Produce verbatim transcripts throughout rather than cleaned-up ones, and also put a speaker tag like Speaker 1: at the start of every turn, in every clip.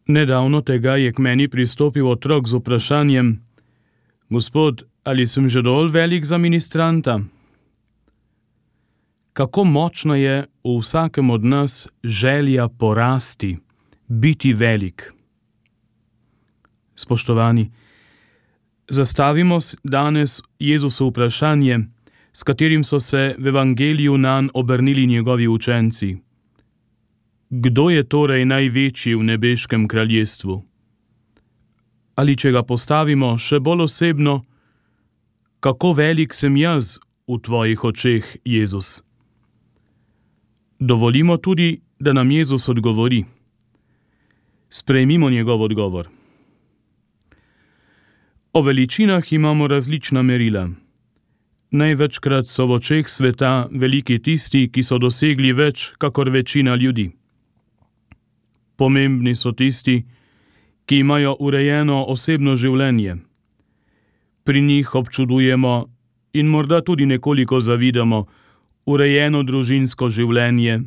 Speaker 1: Nedavno tega je k meni pristopil otrok z vprašanjem: Gospod, ali sem že dovolj velik za ministranta? Kako močna je v vsakem od nas želja porasti, biti velik. Spoštovani, zastavimo danes Jezusu vprašanje, s katerim so se v evangeliju nanj obrnili njegovi učenci. Kdo je torej največji v nebeškem kraljestvu? Ali če ga postavimo še bolj osebno, kako velik sem jaz v tvojih očeh, Jezus? Dovolimo tudi, da nam Jezus odgovori. Sprejmimo njegov odgovor. O veličinah imamo različna merila. Največkrat so v očeh sveta veliki tisti, ki so dosegli več, kakor večina ljudi. Pomembni so tisti, ki imajo urejeno osebno življenje. Pri njih občudujemo in morda tudi nekoliko zavidamo urejeno družinsko življenje,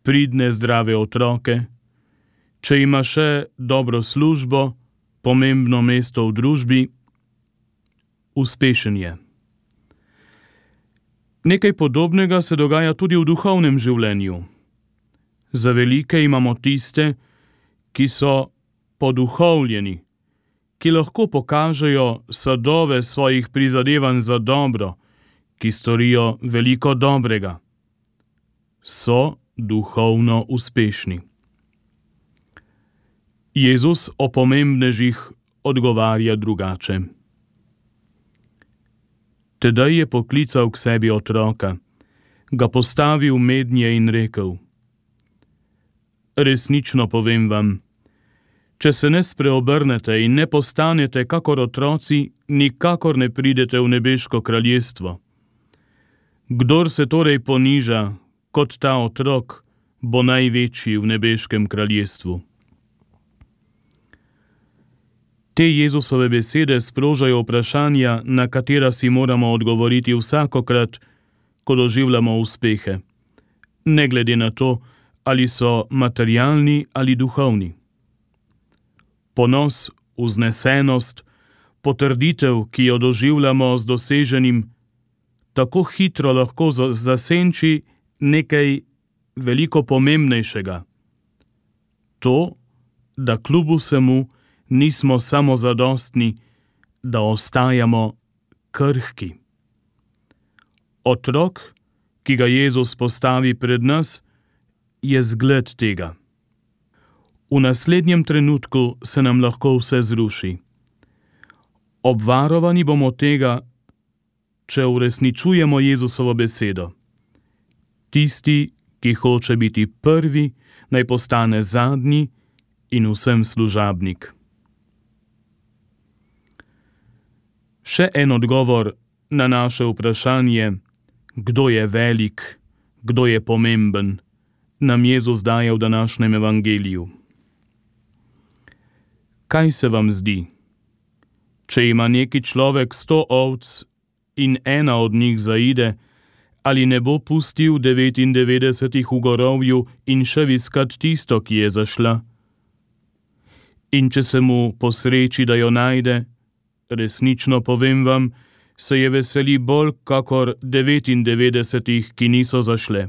Speaker 1: pridne zdrave otroke, če ima še dobro službo, pomembno mesto v družbi, uspešen je. Nekaj podobnega se dogaja tudi v duhovnem življenju. Za velike imamo tiste, ki so poduhovljeni, ki lahko pokažejo sadove svojih prizadevanj za dobro, ki storijo veliko dobrega. So duhovno uspešni. Jezus o pomembnežih odgovarja drugače. Tedaj je poklical k sebi otroka, ga postavil mednje in rekel: Resnično povem vam, če se ne spreobrnete in ne postanete kakor otroci, nikakor ne pridete v nebeško kraljestvo. Kdor se torej poniža kot ta otrok, bo največji v nebeškem kraljestvu. Te Jezusove besede sprožajo vprašanja, na katera si moramo odgovoriti vsakokrat, ko doživljamo uspehe, ne glede na to, ali so materialni ali duhovni. Ponos, vznesenost, potrditev, ki jo doživljamo z doseženim, tako hitro lahko zasenči nekaj veliko pomembnejšega. To, da kljub vsemu nismo samozadostni, da ostajamo krhki. Otrok, ki ga Jezus postavi pred nas, je zgled tega. V naslednjem trenutku se nam lahko vse zruši. Obvarovani bomo tega, če uresničujemo Jezusovo besedo. Tisti, ki hoče biti prvi, naj postane zadnji in vsem služabnik. Še en odgovor na naše vprašanje, kdo je velik, kdo je pomemben, nam Jezus daje v današnjem evangeliju. Kaj se vam zdi? Če ima neki človek sto ovc in ena od njih zaide, ali ne bo pustil devetindevetdesetih v gorovju in šel iskat tisto, ki je zašla? In če se mu posreči, da jo najde, resnično povem vam, se je veseli bolj kakor devetindevetdesetih, ki niso zašle.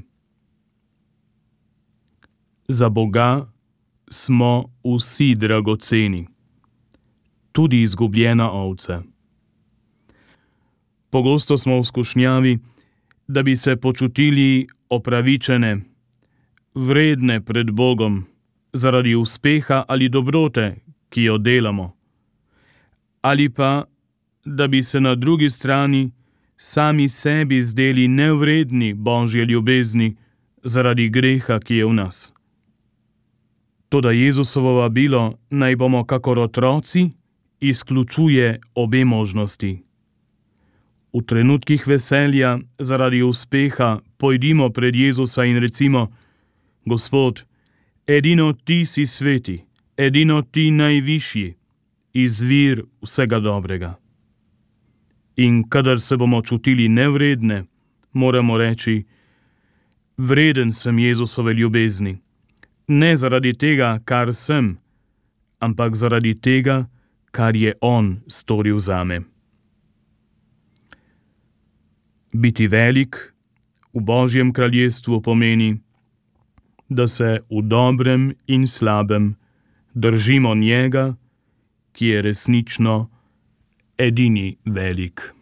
Speaker 1: Za Boga smo vsi dragoceni, tudi izgubljena ovca. Pogosto smo v skušnjavi, da bi se počutili opravičene, vredne pred Bogom, zaradi uspeha ali dobrote, ki jo delamo, ali pa, da bi se na drugi strani sami sebi zdeli nevredni Božje ljubezni zaradi greha, ki je v nas. Toda Jezusovo vabilo, naj bomo kakor otroci, izključuje obe možnosti. V trenutkih veselja zaradi uspeha pojdimo pred Jezusa in recimo: Gospod, edino Ti si sveti, edino Ti najvišji, izvir vsega dobrega. In kadar se bomo čutili nevredne, moramo reči: vreden sem Jezusove ljubezni, ne zaradi tega, kar sem, ampak zaradi tega, kar je on storil zame. Biti velik v Božjem kraljestvu pomeni, da se v dobrem in slabem držimo njega, ki je resnično edini velik.